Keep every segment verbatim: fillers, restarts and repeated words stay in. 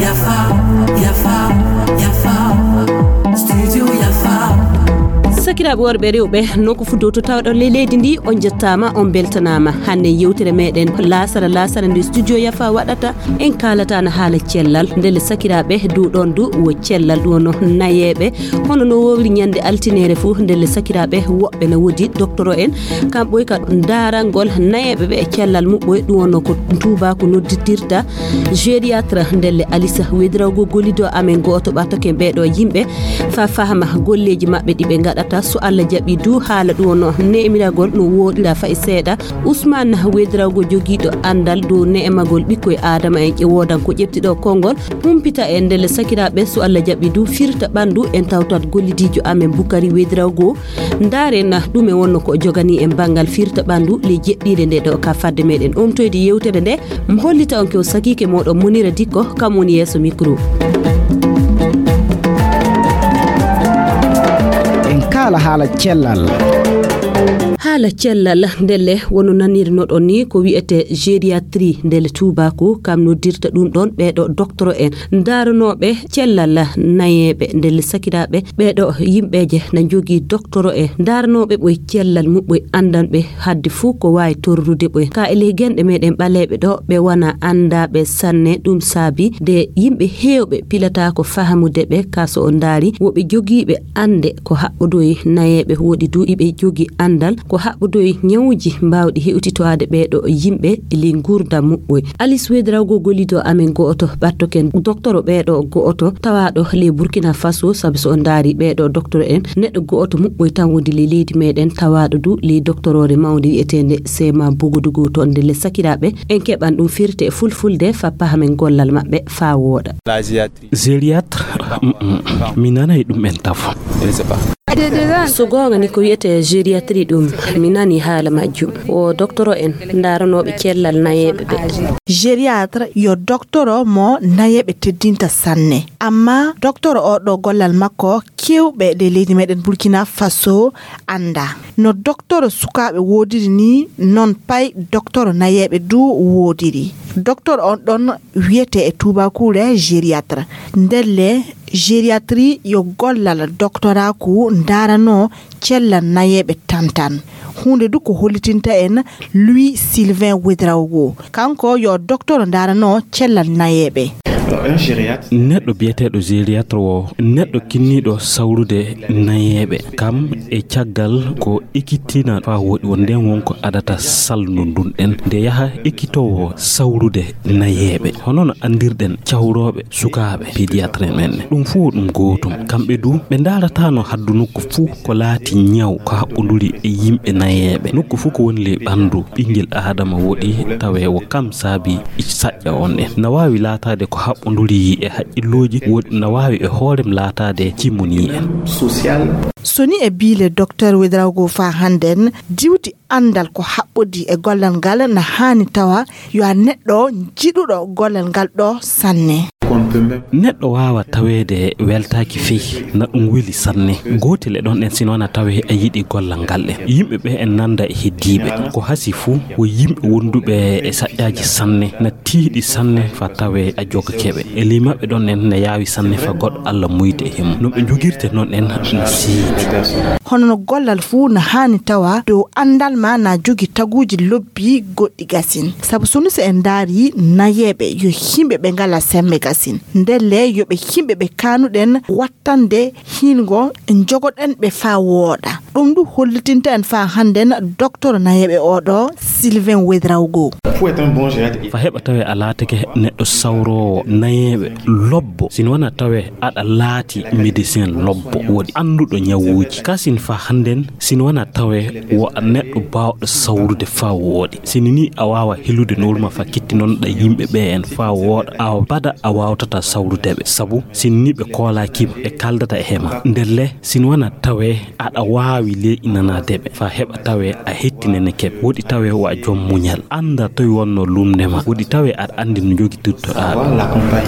Yafa, yafa, yafa. Studio yafa. Sakiraaɓe worɓe e rewɓe, nokku fuu dow to tawɗon ley leydi ndi, on njettaama, on mbeltanaama. Hannde yewtere meɗen laasara laasara nde studio yafa waɗata, en kaalata na haala cellal. Ndelle sakiraaɓe, dow ɗon du wo cellal, ɗum wonno nayeeɓe. Hono no wowli ñande altineere fuu, ndelle sakiraaɓe, woɓɓe na woodi doktoro en, kamɓe ka ndarangol nayeeɓe ɓe e cellal muɓɓoy, ɗum wonno ko tuubaaku noddirta gériatre. Ndelle Alisa Wedirago gollido amen gooto ɓattoken ɓeeɗo yimɓe fa fahama golleeji maɓɓe ɗi ɓe ngaɗata. So Allah jaɓi du, haala ɗum wonno neemiragol no wooɗira fay seeɗa. Usman Wedirago jogiiɗo anndal dow ne'emagol ɓikkoy Aadama en, ƴe woodan ko ƴeftiɗo konngol, humpita e ndelle sakiraaɓe, so Allah jaɓi du, firta ɓanndu en tawtat gollidiijo amen Bukari Wedirago. Ndaaren ɗume wonno ko jogani en banngal firta ɓanndu ley jeɗɗiire nde ɗo ka fadde meɗen omtoyde yewtere nde. Mi hollita on ko sakiike mooɗon Munira Dikko, kam woni yeeso mikro. En kaala haala cellal. Haala cellal, ndelle wono nanirnoɗon ni ko wi'ete gériatrie, ndelle tuubaaku, kam noddirta ɗum ɗon ɓeeɗo doktoro en. Ndaranooɓe cellal nayeeɓe, ndelle sakiraaɓe, ɓeeɗo yimɓeeje na njogii doktoro en. Ndaranooɓe ɓoy cellal muɓɓoy, anndanɓe hadde fuu ko waawi torrude ɓoy. Ka e ley genɗe meɗen ɓaleeɓe ɗo, ɓe wona anndaaɓe sanne. Ɗum saabi de yimɓe heewɓe pilataako fahamude ɓe. Ka so on ndaari, woɓɓe jogiiɓe annde ko haɓɓodoyi nayeeɓe, woodi du iɓe jogii anndal ko haɓɓodoyi ñawuuji mbaawɗi hewtitoade ɓeeɗo yimɓe e ley nguurndam muɓɓoy. Alice Wedirago gollido amen gooto ɓattoken doktoro ɓeeɗo gooto tawaaɗo ley Burkina Faso, sabi so on ndaari ɓeeɗo doktoro en, neɗɗo gooto muɓɓoy tan woodi ley leydi meɗen, tawaaɗo du ley doktoroore mawnde wi'eteende Sema Bogodogo. To ndelle sakiraaɓe, en keɓan ɗum firte e fulfulde fa pahamen gollal maɓɓe fa wooɗa. Gériatre, mm, mm, mi nanay ɗum en tafo. So goonga ni ko wi'ete gériatrie ɗum, mi nani haala majjum. Wo doktoro en ndaranooɓe cellal nayeeɓe ɓe. Gériatre yo doktoro mo nayeeɓe teddinta sanne. Amma doktoro o ɗo gollal makko kewɓe ley leydi meɗen Burkina Faso annda. No doktoro sukaaɓe woodiri ni, non pay doktoro nayeeɓe du woodiri. Doktoro on ɗon wi'ete e tuubaakuure gériatre. Ndelle gériatrie yo gollal doktoraaku ndaranoo cellal nayeeɓe tantan. Huunde du ko hollitinta en Louis Sylvain Ouedraogo. Kanko yo doktoro ndaranoo cellal nayeeɓe. Neɗɗo biyeteeɗo gériatre wo neɗɗo kinniiɗo sawrude nayeeɓe. Kam e caggal ko ekkitina faa woɗi won nden won ko adata salndu ndun ɗen. Nde yaha ekkitoowo sawrude nayeeɓe. Hono no anndirɗen cawrooɓe sukaaɓe pédiatre men. Ɗum fof ɗum gootum. Kamɓe du ɓe ndaarataano haddu nokku fof ko laati ñaw ko haɓɓonduri e yimɓe nayeeɓe. Nokku fof ko woni ley ɓanndu ɓinngel Aadama woɗi tawee wo kam saabi saƴƴa on en. Na waawi laataade ko haɓɓonduri e haqqillooji, woɗi na waawi e hoorem laataade cimunii en. So ni e biile Docteur Ouedraogo faa hannden, diwti anndal ko haɓɓodii e gollal ngal na haani tawa yo a neɗɗo jiɗuɗo gollal ngal ɗo sanne. Neɗɗo waawa taweede weltaaki fey, na ɗum weli sanne. Gootel e ɗon en sino na tawee a yiɗi gollal ngal ɗen. Yimɓe ɓe en nanda e heddiiɓe. Ko hasi fuu, wo yimɓe wonduɓe e saƴƴaaji sanne, na tiiɗi sanne faa tawee a jogake ɓe. E ley maɓɓe ɗon en na yaawi sanne faa goɗɗo Alla muyde e mum. No ɓe jogirte non en na siiɗi. Hono no gollal fuu na haani tawa dow anndal ma na jogi taguuji lobbi goɗɗi gasin. Sabu so ni so en ndaari nayeeɓe yo yimɓe ɓe ngalaa semme gasin. Ndelle yo ɓe yimɓe ɓe kaanuɗen wattande hiingo jogoɗen ɓe faa wooɗa. Ɗum du hollitinta en faa hannden Docteur nayeeɓe oo ɗo Sylvain Ouedraogo. Faa heɓa tawee a laatake neɗɗo sawroowo nayeeɓe lobbo, sino wona tawee aɗa laati médecin lobbo woɗi annduɗo ñawuuji. Kasin faa hannden sino wona tawee wo a neɗɗo baawɗo sawrude faa wooɗi. Sini ni a waawa helude nowru ma faa kitti non ɗa yimɓe ɓe en faa wooɗa a bada a waawtata sawrude ɓe. Sabu sini ni ɓe koolaaki ma, ɓe kaaldata e hema. Ndelle sino wona tawee aɗa waawi leeƴinanaade ɓe faa heɓa tawee a hettinanike ɓe. Woɗi tawee wo a jom muñal. Annda toy wonno lumnde ma. Woɗi tawee aɗa anndi no jogitirtoɗaa ɓe.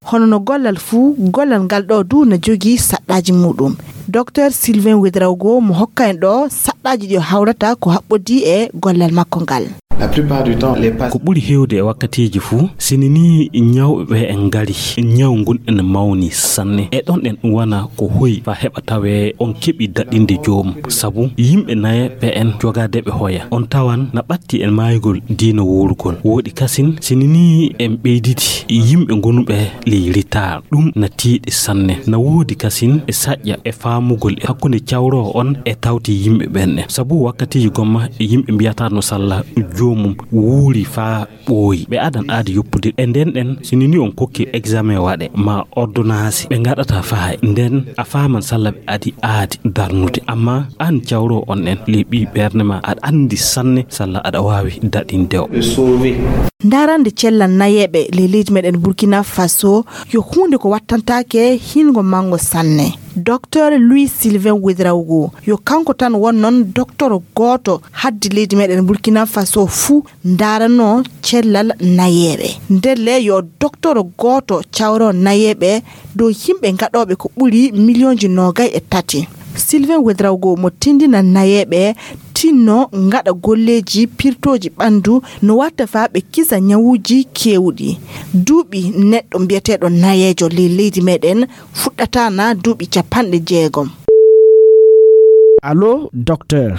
Hono no gollal fuu, gollal ngal ɗo du na jogii saɗɗaaji muuɗum. Docteur Sylvain Ouedraogo mo hokka en ɗo saɗɗaaji ɗi o hawrata ko haɓɓodii e gollal makko ngal. La plupart du temps, les patients... Ko ɓuri heewde e wakkatiiji fuu, sini nii ñawɓe ɓe en ngari, ñaw ngun ene mawni sanne. E ɗon ɗen wona ko hoyi faa heɓa tawee on keɓi daɗinde joomum. Sabu yimɓe nayeeɓe en jogaade ɓe hoya. On tawan na ɓatti en maayugol diina wuurugol. Wooɗi kasin, sini nii en ɓeyditi yimɓe ngonuɓe ley ritaar. Ɗum na tiiɗi sanne. Na woodi kasin e saƴƴa e faamugol e hakkunde cawroowo on e tawti yimɓe ɓen ɗen. Sabu wakkatiiji gomma e yimɓe mbiyata no salla joomum wuuri faa ɓooyi. Ɓe adan aadi yoppude. E nden ɗen, sini nii on kokki examen waɗe, ma ordonnance, ɓe ngaɗata faay. Nden a faaman salla ɓe adi aadi darnude. Amma an cawroowo on ɗen, ley ɓii ɓernde ma, aɗa anndi sanne salla aɗa waawi daɗinde o. Ndarande cellal nayeeɓe ley leydi meɗen Burkina Faso yo huunde ko wattantaake hingo mango sanne. Docteur Louis Sylvain Ouedraogo, yo kanko tan won non docteur gooto haddi leydi meɗen Burkina Faso fuu ndaranoo cellal nayeeɓe. Ndelle yo docteur gooto cawro nayeeɓe dow yimɓe gaɗooɓe ko ɓuri miliyonji noogay e tati. Sylvain Ouedraogo mo tindina nayeeɓe tinno ngaɗa golleeji pirtooji ɓandu no watta faa ɓe kisa ñawuuji keewuɗi. Duuɓi neɗɗo mbiyeteeɗo nayeejo ley leydi meɗen fuɗɗata na duuɓi capanɗe jeegom. Allo, docteur.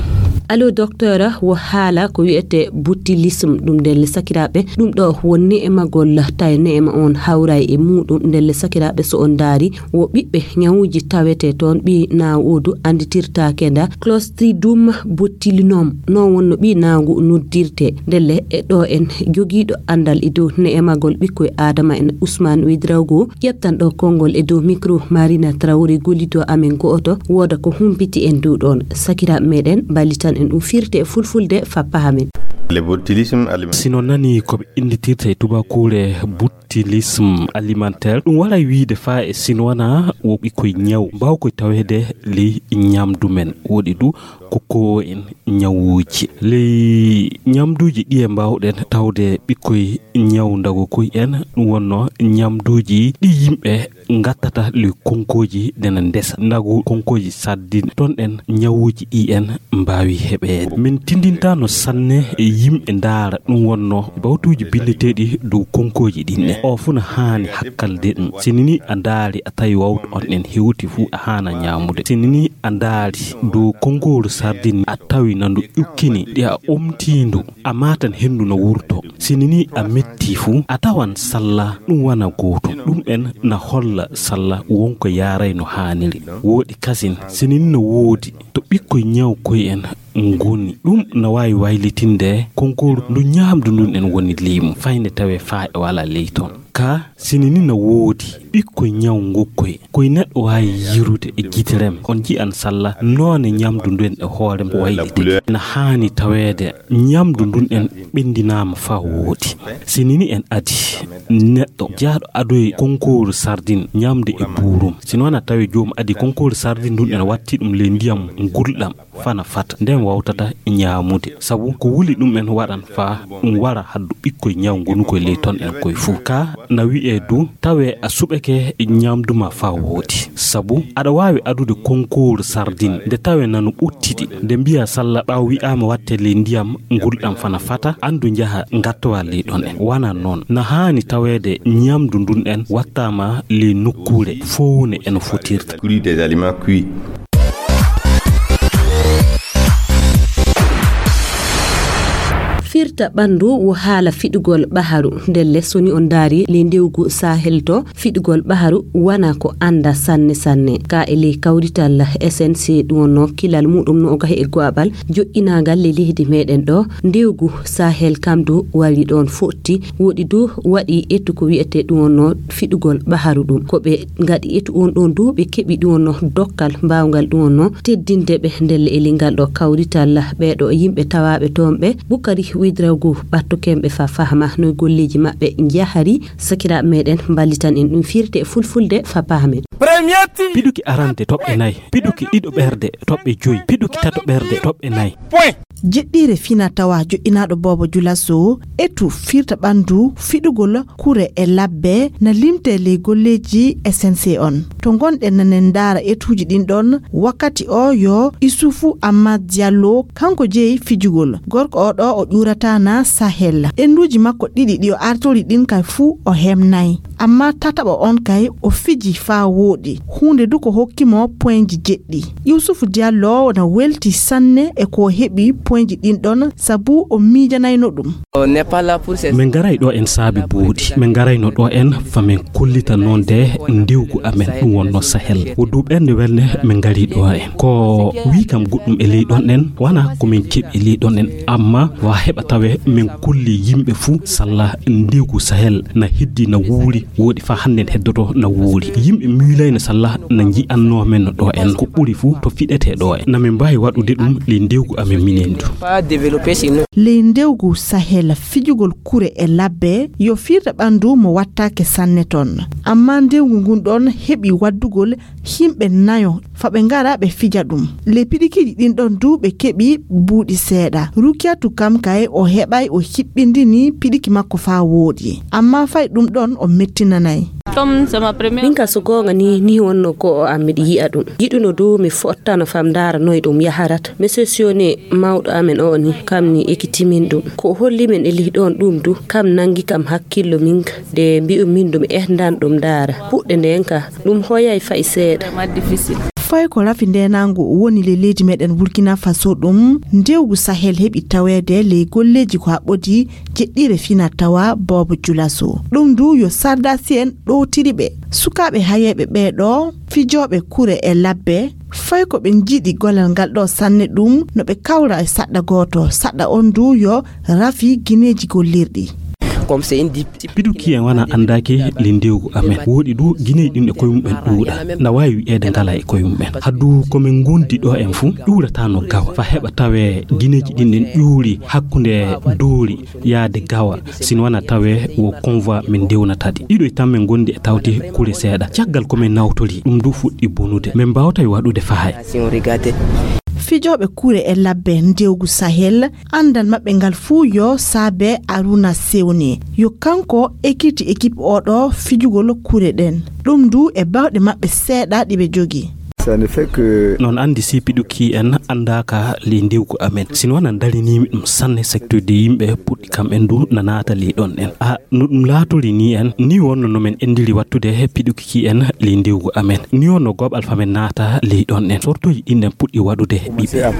Allo, docteur, wo haala ko wiyetee botulisme, ɗum ndelle sakiraaɓe. Ɗum ɗo won ne'emagol, tawi ne'ema on hawray e muuɗum. Ndelle sakiraaɓe, so on ndaari, wo ɓiɓɓe ñawuuji tawetee toon, ɓii naawoodu annditirtaake nda Clostridium botulinum. Noon wonno ɓii naangu noddirtee. Ndelle e ɗo en jogiiɗo anndal e dow ne'emagol ɓikkoy Aadama en, Ousmane Ouedraogo, ƴeftan ɗo konngol e dow micro Marina Traoré, gollido amen go'oto, wooda ko humpiti en dow ɗoon. Sakiraaɓe meɗen, mballitan en ɗum firti e fulfulde fa pahamen. Le botulisme alimentaire. Si no nani ko ɓe innditirta e tubakuure botulisme alimentaire, ɗum waray wiide faa e sinwana wo ɓikkoy ñaw mbaaw koy taweede ley ñamdu men. Woɗi du ko ko en ñawuuji. Ley ñamduuji ɗi e mbaawɗen tawde ɓikkoy ñaw ndago koy en, ɗum wonno ñamduuji ɗi yimɓe ngattata ley konkooji ɗena ndesa. Ndago konkooji sardine, toon ɗen ñawuuji ɗi en mbaawi heɓeede. Min tindintaano sanne e yimɓe ndaara, ɗum wonno bawtuuji binndeteeɗi dow konkooji ɗin ɗen. O fuu na haani hakkalde ɗum. Si nini a ndaari a tawi wawtu on ɗen hewti fuu a haana ñaamude. Si nini a ndaari dow konkooru sardine a tawi na ndu ƴukkini ɗi a omtiindu. A maatan henndu no wurto. Si nini a metti fuu, a tawan salla ɗum wana gootum. Ɗum en na holla salla wonko yaaray no haaniri. Wooɗi kasin, si nini no woodi to ɓikkoy ñaw koy en ngoni. Ɗum na waawi waylitinde konkoru ndu ñaamdu ndun en woni leymu, fayde tawee faa e wala ley toon. Ka si nini no woodi ɓikkoy ñaw ngokkoy, koy neɗɗo waawi yirude e gite rem, on ji'an salla noone ñamdu ndun e hoore mum waylitake. Na haani taweede ñamdu ndun en ɓenndinaama faa woodi. Si nini en adi neɗɗo jaaɗo adoyi konkooru sardine ñamde e buurum, si noon a tawi joom adi konkooru sardine ndun en watti ɗum ley ndiyam ngulɗam fana fata, nden wawtata ñaamude, sabu ko wuli ɗum en waɗan faa ɗum wara haddu ɓikkoy ñaw ngonukoy ley ton en koy fuu. Ka na wi'ee du, tawee a suɓake ñamdu ma faa woodi, sabu aɗa waawi adude konkooru sardine nde tawee nanu ɓuttidi, nde mbiya salla ɓaawo wi'aama watte ley ndiyam ngulɗam fana fata, andu njaha ngattowa ley ɗon en. Wana noon, na haani taweede ñamdu ndun en wattaama ley nokkuure fowne e no fotirta. Cru des aliments cuits. Firta ɓanndu wo haala fiɗugol ɓaharu. Ndelle, so ni on ndaari ley ndewgu Sahel to, fiɗugol ɓaharu wana ko annda sanne sanne. Ka e ley kawrital S N C ɗum wonno kilal muɗum no o gahi e go'aɓal joƴƴinaagal ley leydi meɗen ɗo, ndewgu Sahel kam du wari ɗon fotti. Woɗi du waɗi ettu ko wi'ete ɗum wonno fiɗugol ɓaharu ɗum. Ko ɓe ngaɗi ettu on ɗon du ɓe keɓi ɗum wonno dokkal mbaawgal ɗum wonno teddinde ɓe ndelle e ley ngal ɗo kawrital ɓeeɗo yimɓe tawaaɓe toon ɓe. Bukari Widrago ɓattoken ɓe fa fahma no golleeji maɓɓe njahari. Sakiraaɓe meɗen mballitan en ɗum firte e fulfulde fa pahamen. Piɗuki arande toɓɓe nayi, piɗuki ɗiɗo ɓerde toɓɓe joyi, piɗuki tato ɓerde toɓɓe nayi. Jeɗɗiire fina tawa joƴƴinaaɗo Boobo Julaso, etu firta ɓanndu fiɗugol kure e labbe na limte ley golleeji S N C on. To ngonɗen nanen ndaara etuuji ɗin ɗon, wakkati o yo Isufu Amad Diallo, kanko jeyi fijugol. Gorko o ɗo o ƴuurata na Sahel. Ennduuji makko ɗiɗi ɗi o artori ɗin kay fuu o hemnay. Amma tataɓo on kay o fiji faa wooɗi. Huunde du ko hokki mo poinji jeɗɗi. Yusufu Diallo na welti sanne e ko o heɓi poinji ɗin ɗon sabu o miijanayno ɗum. Min ngaray ɗo en saabe buuɗi. Min ngarayno ɗo en fa min kollita noon de ndiwgu amen ɗum wonno Sahel. Wo du ɓernde welde min ngari ɗo en. Ko wii kam goɗɗum e ley ɗon en, wana ko min keɓi e ley ɗon en, amma wa heɓa tawe min kolli yimɓe fuu salla ndiwgu Sahel na heddi na wuuri, wooɗi fa hannden heddoto na wuuri. Yimɓe miilayno salla na nji'annoo men no ɗo en. Ko ɓuri fuu to fiɗetee ɗo en. Na min mbaawi waɗude ɗum ley ndiwgu amen minen du. Ley ndewgu Sahel, fijugol kure e labbe yo fiirta ɓanndu mo wattaake sanne ton. Amma ndewgu ngun ɗon heɓi waddugol yimɓe nayo fa ɓe ngara ɓe fija ɗum. Ley piɗikiiji ɗin ɗon du ɓe keɓi buuɗi seeɗa. Rukiyatu kam kay o heɓay o hiɓɓindini piɗiki makko faa wooɗi. Amma fay ɗum ɗon o mettinanay. Min ka so goonga ni, ni wonno go'o am miɗi yi'a ɗum. Yiɗuno du mi fottano fam ndaara noy ɗum yaharata. Monsieur Sione mawɗo amen o ni, kam ni ekitimin ɗum. Ko o holli min e lih ɗon ɗum du, kam nangi kam hakkillo min ka. De mbi'u min ɗum ehdan ɗum ndaara. Puɗɗe nden ka, ɗum hoyay fay seeɗa. Fay ko rafi ndenangu woni ley leydi meɗen Burkina Faso ɗum, ndewgu Sahel heɓi taweede ley golleeji ko haɓɓodi jeɗɗire fina tawa Boobo Julaso. Ɗum du yo sardasi'en ɗowtiri ɓe. Sukaaɓe hayeeɓe ɓee ɗo, fijooɓe kure e labbe, fay ko ɓe njiɗi golal ngal ɗo sanne ɗum, no ɓe kawra e saɗɗa gooto. Saɗɗa on du yo rafi gineeji gollirɗi. Piduki en wana andaaki ley ndewgu amen. Wooɗi du gineeji ɗin e koye mumen ɗuuɗa. Na waawi wi'eede ngala e koye mumen. Haddu ko min ngondi ɗo en fuu, ƴuurata no gawa. Fa heɓa tawe gineeji ɗin ɗin ƴuuri hakkunde doori yaade gawa. Sino wana tawe wo convoi min ndewnata ɗi. Ɗiɗo e tan min ngondi e tawti kure seeɗa. Caggal ko min nawtori, ɗum du fuɗɗi bonude. Min mbaawtay waɗude fahay. Fijooɓe kure e labbe ndewgu Sahel, andal maɓɓe ngal fuu yo saabe Aruna Sewni. Yo kanko ekiti ekip oɗo fijugol kure ɗen. Ɗum du e bawɗe maɓɓe seeɗa ɗi ɓe jogi. Noon anndi si piɗuki en anndaaka ley ndewgu amen. Sino wana ndarinimi ɗum sanne, secteur de yimɓe puɗɗi kam en du na naata ley ɗon en. A, no ɗum laatori ni en, ni wonno no min enndiri wattude piɗuki ki en ley ndewgu amen. Ni wonno goɓal fa min naata ley ɗon en. Sortoji ɗin ɗen puɗɗi waɗude ɓiɓɓe.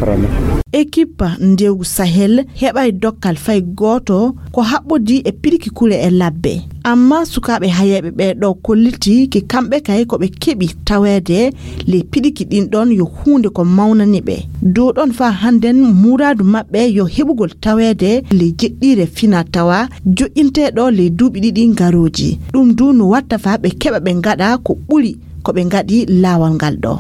Ekipa ndewgu Sahel heɓay dokkal fay gooto ko haɓɓodi e piɗiki kure e labbe. Amma sukaaɓe hayeeɓe ɓee ɗo kolliti ki kamɓe kay ko ɓe keɓi taweede ley piɗiki ɗin ɗon yo huunde ko mawnani ɓe. Dow ɗon faa hannden muraadu maɓɓe yo heɓugol taweede ley jeɗɗiire fina tawa joƴƴinteeɗo ley duuɓi ɗiɗi ngarooji. Ɗum du no watta faa ɓe keɓa ɓe ngaɗa ko ɓuri ko ɓe ngaɗi laawol ngal ɗo.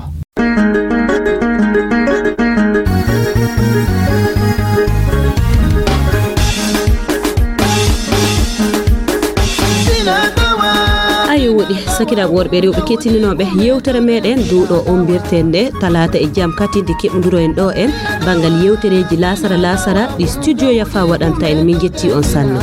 Ayo woɗi sakiraaɓe worɓe e rewɓe kettininooɓe yewtere meɗen dow ɗo ombirten nde talaata e jam katinde keɓodiro en ɗo en banngal yewtereeji laasara laasara ɗi studio yafa waɗanta en. Min njetti on sanne.